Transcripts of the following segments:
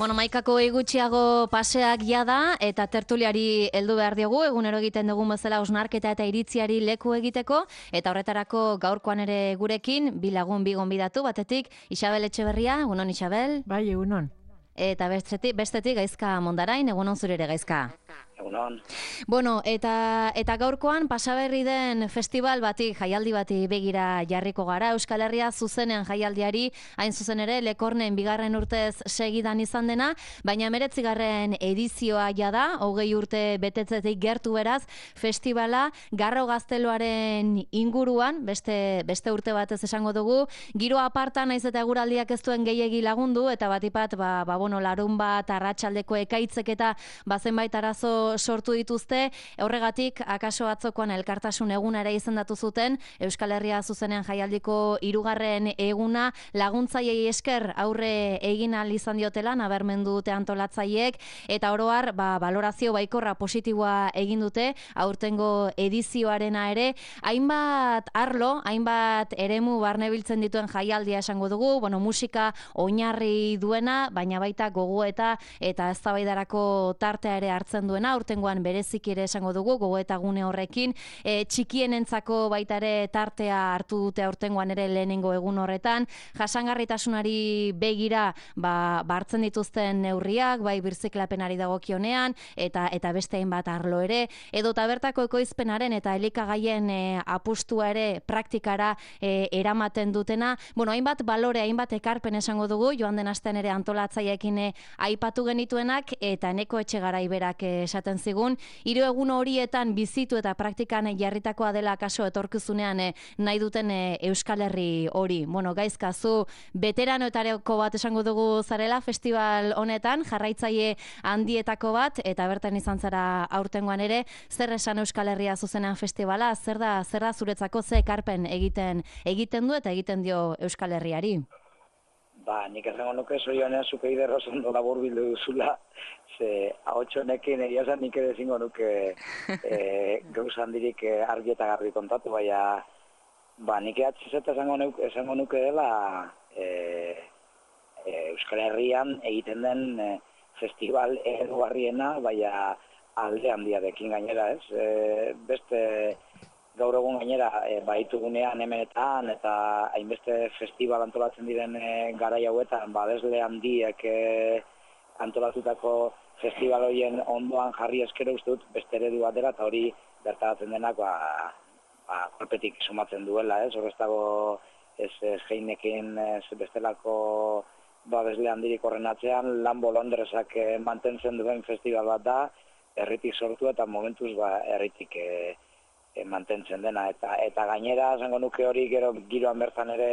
Bueno, maikako gutxiago paseak jada eta tertuliari heldu behar diogu, egunero egiten dugun bezala hausnarketa eta iritziari leku egiteko, eta horretarako gaurkoan ere gurekin, bi lagun bi gonbidatu, batetik Isabel Etxeberria, egunon Isabel. Bai, egunon. Eta bestetik Gaizka Mondarain, egunon zure ere Gaizka. Egunon. Bueno, eta gaurkoan pasaberri den festival bati, jaialdi bati begira jarriko gara. Euskal Herria zuzenean jaialdiari, hain zuzen ere, Lekornen bigarren urtez segidan izan dena, baina 19. edizioa jada, 20 urte betetzetik gertu beraz, festivala Garro Gazteluaren inguruan, beste urte batez esango dugu, giro aparta naiz eta eguraldiak ez duen gehiegi lagundu, eta batipat, larun bat, arratsaldeko ekaitzek eta zenbait arazo sortu dituzte, horregatik akaso atzokoan elkartasun eguna ere izendatu zuten, Euskal Herria zuzenean jaialdiko 3. eguna laguntzaileei esker aurre egin ahal izan diotela nabarmendu dute antolatzaileek, eta oro har balorazio baikorra positiboa egin dute aurtengo edizioarena ere, hainbat arlo, hainbat eremu barnebiltzen dituen jaialdia esango dugu, musika oinarri duena, baina baita gogoeta eta eztabaidarako tartea ere hartzen duena, aurtengoan berezik ere esango dugu, gogoeta gune horrekin, txikienentzako baita ere tartea hartu dute aurtengoan ere lehenengo egun horretan, jasangarritasunari begira hartzen dituzten neurriak, bai birziklapenari dagokionean, eta beste hainbat arlo ere, edo bertako ekoizpenaren eta elikagaien apustua ere praktikara eramaten dutena, hainbat balore, hainbat ekarpen esango dugu, joan den astean ere antolatzaileekin aipatu genituenak, eta Eneko Etxegarai berak esaten zigun, 3 egun horietan bizitu eta praktikan jarritakoa dela kaso etorkizunean nahi duten Euskal Herri hori. Gaizka, zu beteranoetareko bat esango dugu zarela festival honetan, jarraitzaile handietako bat, eta bertan izan zara aurtengoan ere, zer esan Euskal Herria zuzenean festivala, zer da zuretzako, ze ekarpen egiten du eta egiten dio Euskal Herriari? Nik esango nuke zorionean zuke iderro zondo labur bildu duzula, ze ahotxonekin egia zen nik ere zingo nuke gauzan dirik argi eta garbi kontatu, baina nik ehatzizeta esango nuke dela Euskal Herrian egiten den festival eredugarriena, baina alde handiarekin gainera, ez? Beste gaur egun gainera baitugunean hemenetan eta hainbeste festival antolatzen diren garai hauetan, badesle handiek antolatutako festival horien ondoan jarri eskero uste dut beste eredu bat dela, eta hori bertaratzen denak kolpetik sumatzen duela, ez? Hor ez dago ez Heinekin bestelako badesle handirik horren atzean, Lambo Londresak mantentzen duen festival bat da, herritik sortu eta momentuz herritik mantentzen dena, eta gainera esango nuke hori giroan bertan ere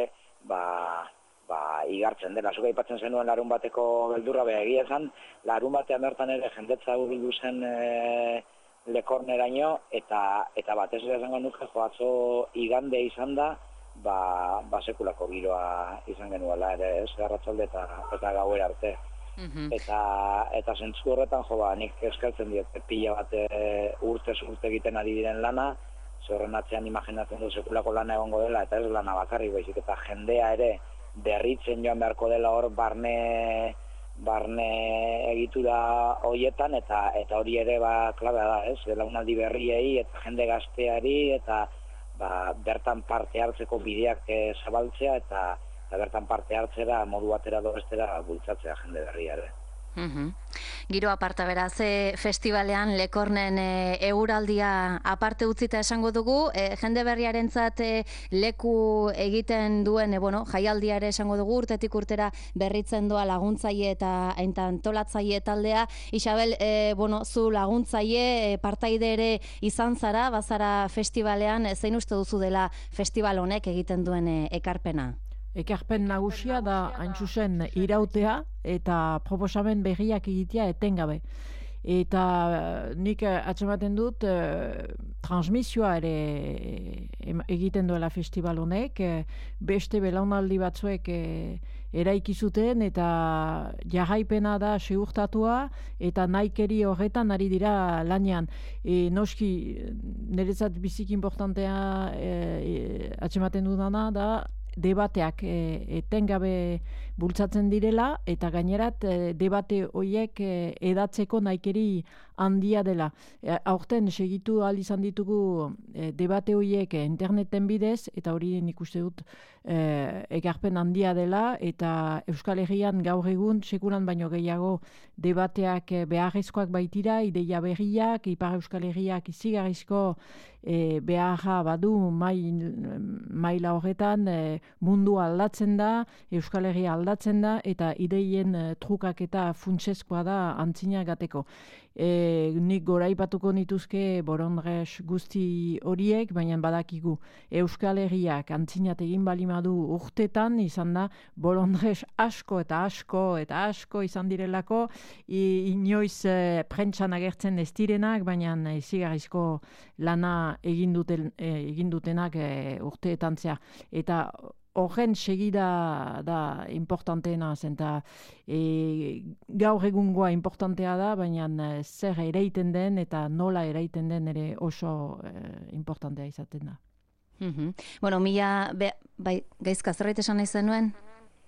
igartzen dela. Zuk aipatzen zenuen larun bateko beldurra, egia esan, larun batean bertan ere jendetza hurbildu zen Lekorneraino, eta batez ere esango nuke atzo igande izan da, sekulako giroa izan genuela ere, ez, arratsalde eta gauera arte. Eta zentzu horretan, nik eskertzen diot, pila bat urtez urte egiten ari diren lana, horren atzean imaginatzen du sekulako lana egongo dela, eta ez lana bakarrik baizik, eta jendea ere berritzen joan beharko dela hor barne egitura horietan, eta hori ere klabea da, ez? Belaunaldi berriei eta jende gazteari, eta bertan parte hartzeko bideak zabaltzea, eta bertan parte hartzera modu batera do bestera bultzatzea jende berria ere. Giro aparta beraz, festivalean Lekornen euraldia aparte utzita esango dugu, jende berriarentzat leku egiten duen jaialdia ere esango dugu, urtetik urtera berritzen doa laguntzaile eta antolatzaile taldea. Isabel, zu laguntzaile, partaide ere izan zara, bazara festivalean, zein uste duzu dela festival honek egiten duen ekarpena? Ekarpen nagusia da hain zuzen irautea eta proposamen berriak egitea etengabe. Eta nik atzematen dut transmisioa ere egiten duela festival honek, beste belaunaldi batzuek eraiki zuten eta jarraipena da segurtatua eta nahikeri horretan ari dira lanean. Noski, niretzat biziki importantea atzematen dudana da debateak etengabe bultzatzen direla, eta gainerat debate horiek edatzeko nahikeri handia dela. Aurten segitu ahal izan ditugu debate horiek interneten bidez, eta hori nik uste dut ekarpen handia dela, eta Euskal Herrian gaur egun sekulan baino gehiago debateak beharrezkoak baitira, ideia berriak, Ipar Euskal Herriak izigarrizko beharra badu maila horretan, mundu aldatzen da, Euskal Herria aldatzen da, eta ideien trukak eta funtsezkoa da antzina gateko. Nik goraipatuko nituzke borondres guzti horiek, baina badakigu Euskal Herriak antzinat egin balimadu urtetan, izan da borondres asko eta asko izan direlako, inoiz prentsan agertzen ez direnak, baina izigarrizko lana egin dutenak urteetan zea. Eta horren segida da importanteena zen, eta gaur egungoa importantea da, baina zer ereiten den eta nola ereiten den ere oso importantea izaten da. Bueno, bai, gaizka, zerbait esan nahi zenuen?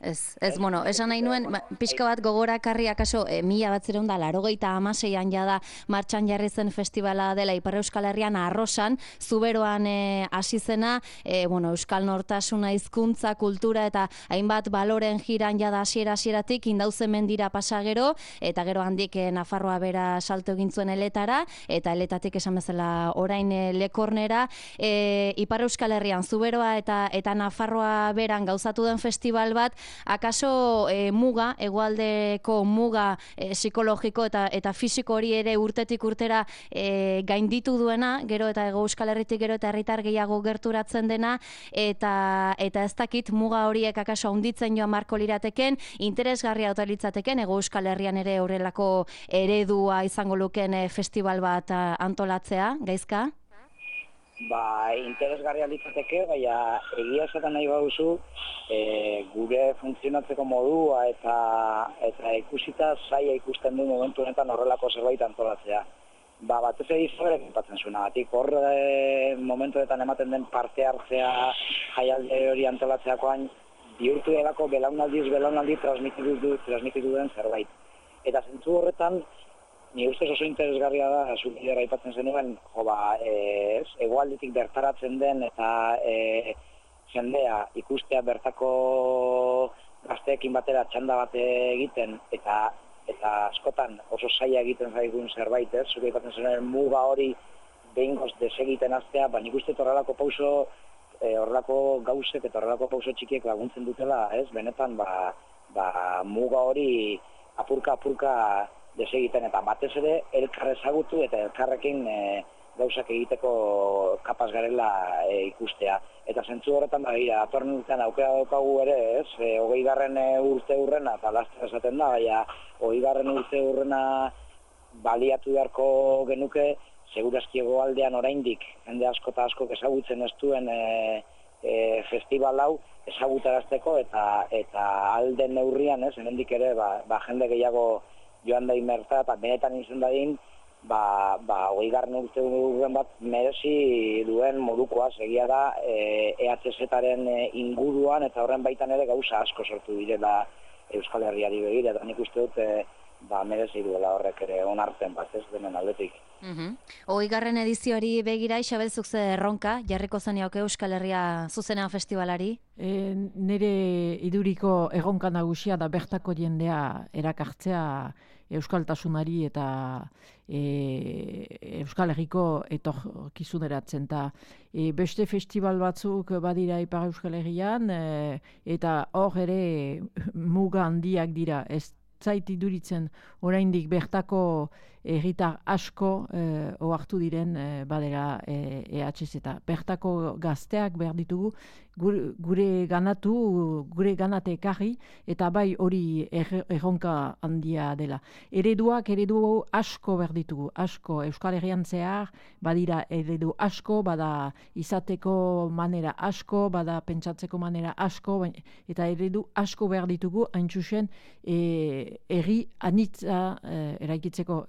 Ez, bueno, esan nahi nuen, pixka bat gogorakarri akaso 1986an jada martxan jarri zen festivala dela Ipar Euskal Herrian Arrosan, Zuberoan hasi zena, Euskal Nortasuna, hizkuntza, kultura eta hainbat baloren jiran jada hasieratik Indauze mendira pasa gero, eta gero handik Nafarroa bera salto egin zuen Eletara, eta Eletatik esan bezala orain Lekornera, Ipar Euskal Herrian Zuberoa eta Nafarroa beran gauzatu den festival bat, akaso muga, hegoaldeko muga psikologiko eta fisiko hori ere urtetik urtera gainditu duena, gero eta Hego Euskal Herritik gero eta herritar gehiago gerturatzen dena, eta ez dakit muga horiek akaso handitzen joan marko lirateken, interesgarria ote litzateken Hego Euskal Herrian ere horrelako eredua izango luken festival bat antolatzea, gaizka? Interesgarria litzateke, baina egia esaten nahi baduzu, gure funtzionatzeko modua eta ikusita zaila ikusten du momentu honetan horrelako zerbait antolatzea. Batez egizabere kipatzen zuena, batik momentuetan ematen den parte hartzea jaialde hori antolatzeakoan bihurtu delako belaunaldi transmititu den zerbait. Eta zentzu horretan, ni ustez oso interesgarria da, zukidera aipatzen zenuen, hegoaldetik bertaratzen den eta jendea ikustea bertako gazteekin batera txanda bat egiten eta askotan oso zaila egiten zaigun zerbait, zuke aipatzen zenuen muga hori behingoz desegiten aztea, nik uste horrelako pauso, horrelako gauzek eta horrelako pauso txikiek laguntzen dutela, benetan muga hori apurka desegiten, eta batez ere elkar ezagutu eta elkarrekin gauzak egiteko kapaz garela ikustea. Eta zentzu horretan atorren urtean aukera daukagu ere, 20. urte hurrena, eta laster esaten da, baina 20. urte hurrena baliatu beharko genuke, segurazki hegoaldean oraindik jende asko eta askok ezagutzen ez duen festival hau ezagutarazteko eta alden neurrian, hemendik ere jende gehiago joan da inmerta, eta benetan izan dadin, 20. urte urren bat merezi duen modukoa, segia da EHZ-aren inguruan, eta horren baitan ere gauza asko sortu direla Euskal Herriari begira, eta nik uste dut merezi duela horrek ere onartzen bat, ez denen aldetik. 20. edizioari begira, Isabel, zuk ze erronka jarriko zenioke Euskal Herria zuzenean festivalari? Nire iduriko erronka nagusia da bertako jendea erakartzea euskaltasunari eta Euskal Herriko etorkizuneratzen. Beste festival batzuk badira Ipar Euskal Herrian, eta hor ere muga handiak dira. Ez zait iduritzen oraindik bertako herritar asko ohartu diren badera EHZ eta bertako gazteak behar ditugu gure ganate ekarri, eta bai hori erronka handia dela. Eredu asko behar ditugu, asko Euskal Herrian zehar badira eredu asko, bada izateko manera asko, bada pentsatzeko manera asko, eta eredu asko behar ditugu hain zuzen herri anitza eraikitzeko.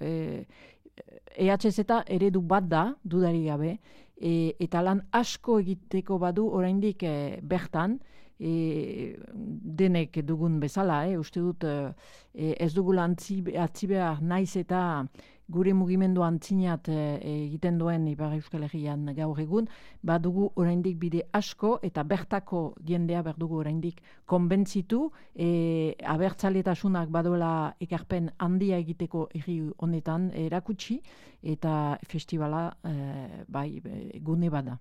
EHZ eredu bat da, dudari gabe, eta lan asko egiteko badu oraindik bertan, denek dugun bezala, uste dut ez dugula atzi behar naiz eta gure mugimendu antzinat egiten duen Ipar Euskal Herrian gaur egun, badugu oraindik bide asko eta bertako jendea berdugu oraindik konbentzitu, abertzaletasunak badola ekarpen handia egiteko herri honetan erakutsi eta festivala gune bada.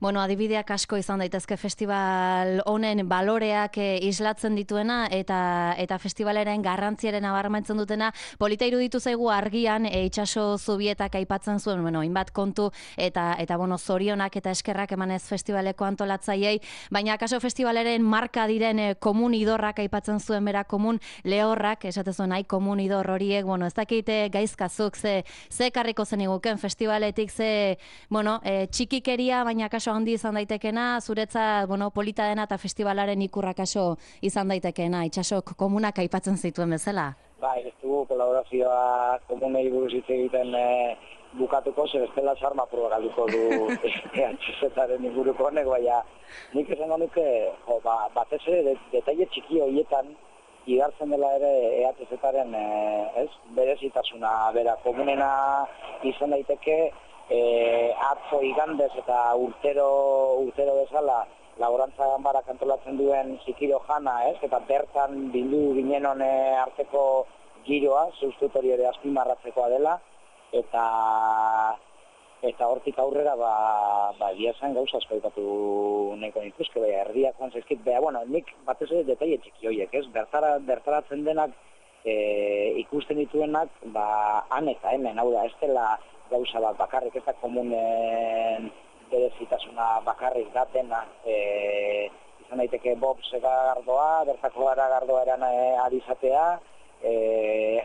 Bueno, adibideak asko izan daitezke festival honen baloreak islatzen dituena eta festivalaren garrantziaren nabarmentzen dutena. Polita iruditu zaigu argian itsaso zubietak aipatzen zuen, hainbat kontu eta zorionak eta eskerrak emanez festivaleko antolatzaileei, baina akaso festivalaren marka diren komun idorrak aipatzen zuen bera, komun lehorrak, esate zuen nahi komun idor horiek, ez dakite gaizkazuk ze ekarriko zen iguken festivaletik ze, txikikeria, baina kaso handi izan daitekena, zuretzat, polita dena eta festivalaren ikurra kaso izan daitekena, itxasok komunak aipatzen zituen bezala? Ez dugu kolaborazioa komunei buruz hitz egiten bukatuko, zer bestela sarma proba galduko du EHZ-aren inguruko honek, baina nik esango nuke, batez ere, detaile txiki horietan, igartzen dela ere EHZ-aren berezitasuna, bera, komunena izan daiteke, atzo igandez eta urtero bezala laborantza ganbarak antolatzen duen zikiro jana, eta bertan bildu ginen arteko giroa, zeustut hori ere azpimarratzekoa dela, eta hortik aurrera esan gauza asko aipatu nahiko nituzke, erdiak joan zaizkit, nik batez ere detaile txiki horiek, bertaratzen denak ikusten dituenak, han eta hemen, hau da, ez dela gauza bat bakarrik, ez da komunen berezitasuna bakarrik da dena, izan daiteke Bob Segardoa, bertako garagardoa eran alizatea,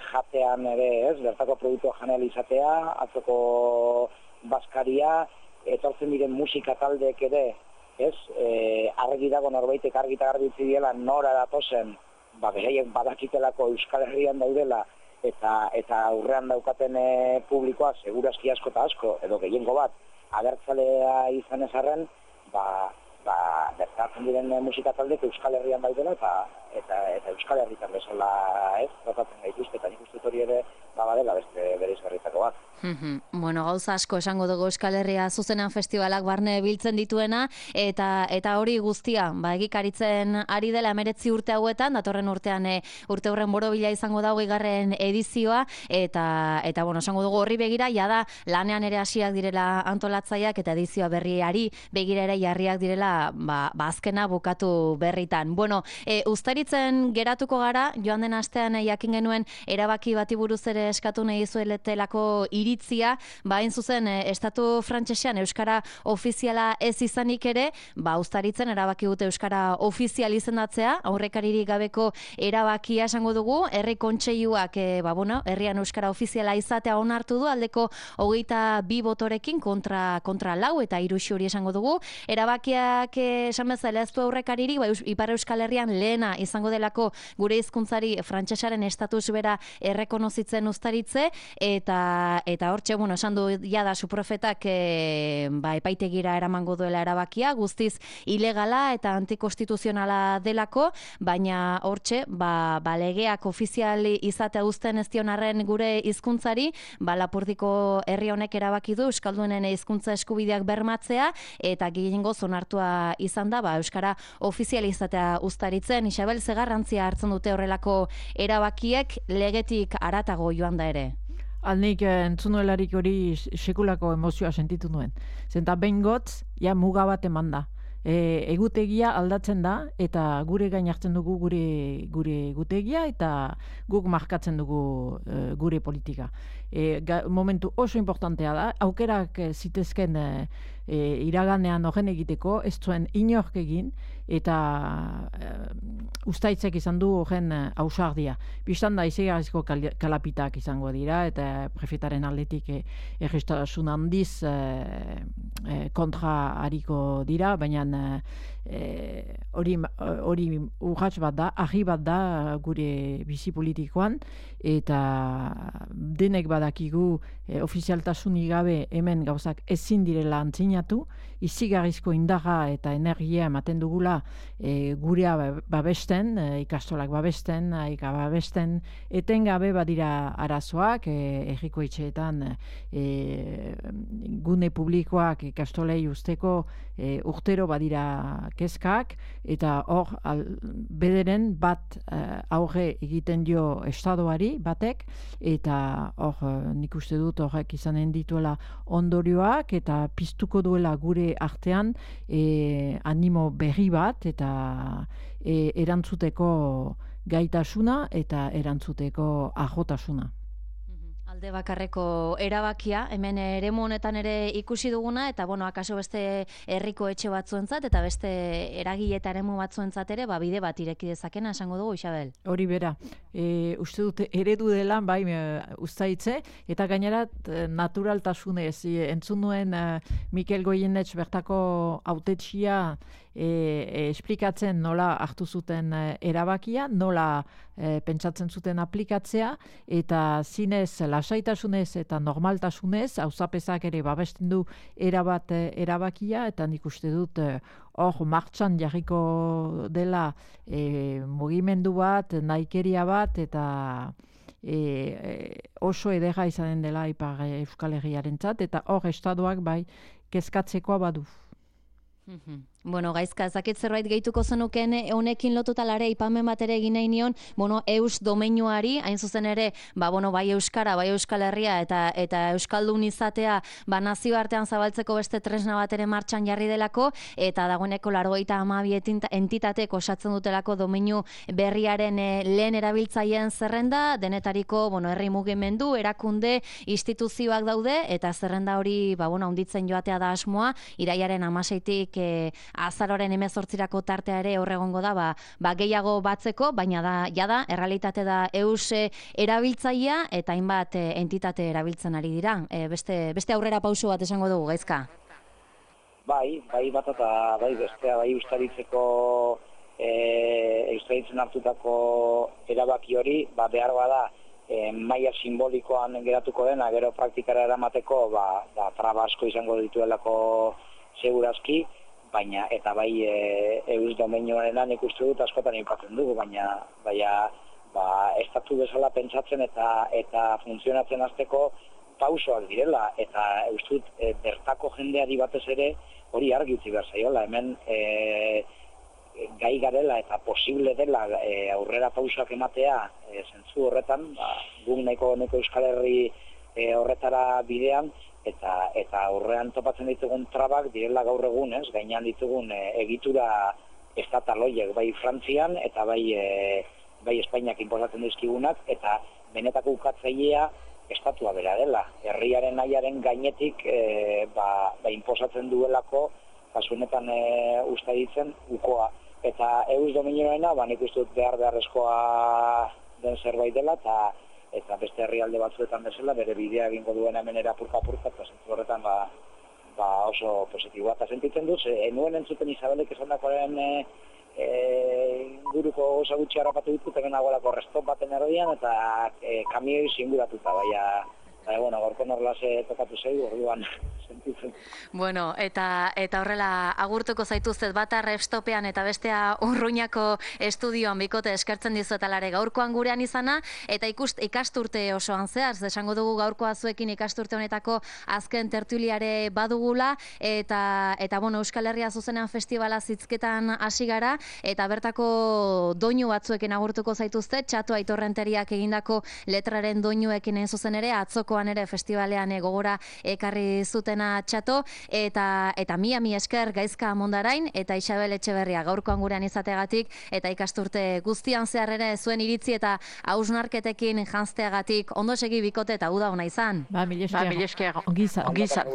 jatean ere, bertako produktua janel izatea, atzoko baskaria, etortzen diren musika taldeek ere, argi dago norbaitek argita garbitzi diela nora datozen, beraiek badakitelako Euskal Herrian daudela, eta aurrean daukaten publikoa, segurazki asko eta asko, edo gehiengo bat, abertzalea izan ezarren, bertatzen diren musika taldek Euskal Herrian daudela, eta Euskal Herritan bezala tratatzen gaituzte, eta nik uste hori ere badela beste bereizgarritako bat. Gauza asko esango dugu Euskal Herria zuzenean festivalak barne biltzen dituena, eta hori guztia, egikaritzen ari dela 19 urte hauetan, datorren urtean urte horren borobila izango da 20. edizioa, eta esango dugu horri begira, jada lanean ere hasiak direla antolatzaileak eta edizioa berriari begira ere jarriak direla azkena bukatu berritan. Uztaritzen geratuko gara, joan den astean jakin genuen erabaki bati buruz ere eskatu nahi zueletelako iritzia, hain zuzen estatu frantsesean euskara ofiziala ez izanik ere, uztaritzen erabaki dute euskara ofizial izendatzea, aurrekaririk gabeko erabakia esango dugu, herri kontseiluak herrian euskara ofiziala izatea onartu du, aldeko 22 botorekin kontra 4 eta 3 hori esango dugu. Erabakiak esan bezala ez du aurrekaririk, Ipar Euskal Herrian lehena izango delako gure hizkuntzari frantsesaren estatus bera errekonozitzen uztaritze, eta hortxe, esan du jada suprofetak epaitegira eramango duela erabakia, guztiz ilegala eta antikonstituzionala delako, baina hortxe, legeak ofizial izatea uzten ez dionarren gure hizkuntzari, Lapurdiko herri honek erabaki du euskaldunen hizkuntza eskubideak bermatzea, eta gehiengoz onartua izan da, euskara ofizial izatea uztaritzen. Isabel, ze garrantzia hartzen dute horrelako erabakiek legetik haratago joan da ere? Alnik entzunuelarik hori sekulako emozioa sentitu nuen. Zenta behin gotz, muga bat eman da. Egutegia aldatzen da, eta gure gain hartzen dugu gure egutegia, eta guk markatzen dugu gure politika. Momentu oso importantea da, aukerak zitezken iraganean horren egiteko, ez zuen inork egin, eta ustaitzek izan du horren ausardia. Bistan da, izegarizko kalapitak izango dira, eta prefetaren aldetik errestasun handiz kontra hariko dira, baina hori urrats bat da, ahi bat da gure bizi politikoan, eta denek badakigu ofizialtasunik gabe hemen gauzak ezin direla antzina sinatu, izigarrizko indarra eta energia ematen dugula gurea babesten, ikastolak babesten, aika babesten, etengabe badira arazoak, herriko etxeetan gune publikoak ikastolei usteko urtero badira kezkak, eta hor bederen bat aurre egiten dio estadoari batek, eta hor nik uste dut horrek izanen dituela ondorioak, eta piztuko duela gure artean animo berri bat, eta erantzuteko gaitasuna eta erantzuteko ajotasuna. Alde bakarreko erabakia, hemen eremu honetan ere ikusi duguna, eta akaso beste herriko etxe batzuentzat, eta beste eragile eta eremu batzuentzat ere, bide bat ireki dezakena, esango dugu, Isabel? Hori bera, uste dut eredu dela, bai, uztaitze, eta gainera naturaltasunez, entzun nuen Mikel Goienetx bertako hautetxia esplikatzen nola hartu zuten erabakia, nola pentsatzen zuten aplikatzea, eta zinez, lasaitasunez eta normaltasunez, auzapezak ere babesten du erabakia, eta nik uste dut hor martxan jarriko dela mugimendu bat, nahikeria bat, eta oso edera izanen dela Ipar Euskal Herriarentzat, eta hor estadoak bai kezkatzekoa badu. Gaizka, ezakit zerbait gehituko zenuken honekin lotutalare ipamen bat ere egin nahi nion, eus domeinuari, hain zuzen ere, bai Euskara, bai Euskal Herria eta Euskaldun izatea nazioartean zabaltzeko beste tresna bat ere martxan jarri delako, eta dagoeneko 92 entitatek osatzen dutelako domeinu berriaren lehen erabiltzaileen zerrenda, denetariko herri mugimendu, erakunde, instituzioak daude, eta zerrenda hori handitzen joatea da asmoa, irailaren 16tik azaroaren 18rako tartea ere horregongo da, gehiago batzeko, baina jada, errealitate da eus erabiltzailea eta hainbat entitate erabiltzen ari dira. Beste aurrera pauso bat esango dugu, Gaizka? Bai bat eta bestea, Eustaritzeko Eustaritzen hartutako erabaki hori, behar bada, maila simbolikoan geratuko dena, gero praktikara eramateko, traba asko izango dituelako segurazki, baina eta eus domeinuarenan ikustu dut askotan aipatzen dugu, baina estatu bezala pentsatzen eta funtzionatzen hasteko pausoak direla, eta uste dut bertako jendeari batez ere hori argi utzi behar zaiola, hemen gai garela eta posible dela aurrera pausoak ematea zentzu horretan, guk nahiko Euskal Herri horretara bidean, eta aurrean topatzen ditugun trabak direla gaur egun, gainean ditugun egitura estataloiek, bai Frantzian eta bai Espainiak inposatzen dizkigunak, eta benetako ukatzailea estatua bera dela. Herriaren nahiaren gainetik inposatzen duelako, kasunetan uste ditzen, ukoa. Eta eus dominioena, nik uste dut beharrezkoa den zerbait dela, eta beste herrialde batzuetan bezala bere bidea egingo duen hemen apurka-apurka, eta zentzu horretan oso positiboa. Eta sentitzen dut, nuen entzuten Isabelek esandakoaren inguruko gauza gutxi harrapatu ditut, hemen nagoelako restop baten erdian, eta kamioi zinguratuta, gaurko norlase tokatu zaigu, orduan sentitzen. Eta horrela agurtuko zaituztet bata restoppean eta bestea Urruñako estudioan bikote eskertzen dizuetalare gaurkoan gurean izana, eta ikasturte osoan zehar, esango dugu gaurkoa zuekin ikasturte honetako azken tertuliare badugula, eta Euskal Herria zuzenean festivala zitzketan hasi gara, eta bertako doinu batzuekin agurtuko zaituzte, Txatu Aitorrenteriak egindako letraren doinuekin zuzen ere, atzokoan ere festivalean gogora ekarri zutena Txato, eta mi esker Gaizka Mondarain eta Isabel Etxeberria gaurkoan gurean izateagatik, eta ikasturte guztian zehar ere zuen iritzi eta hausnarketekin janzteagatik ondo segi bikote eta uda ona izan. Mil esker. Ongi izan.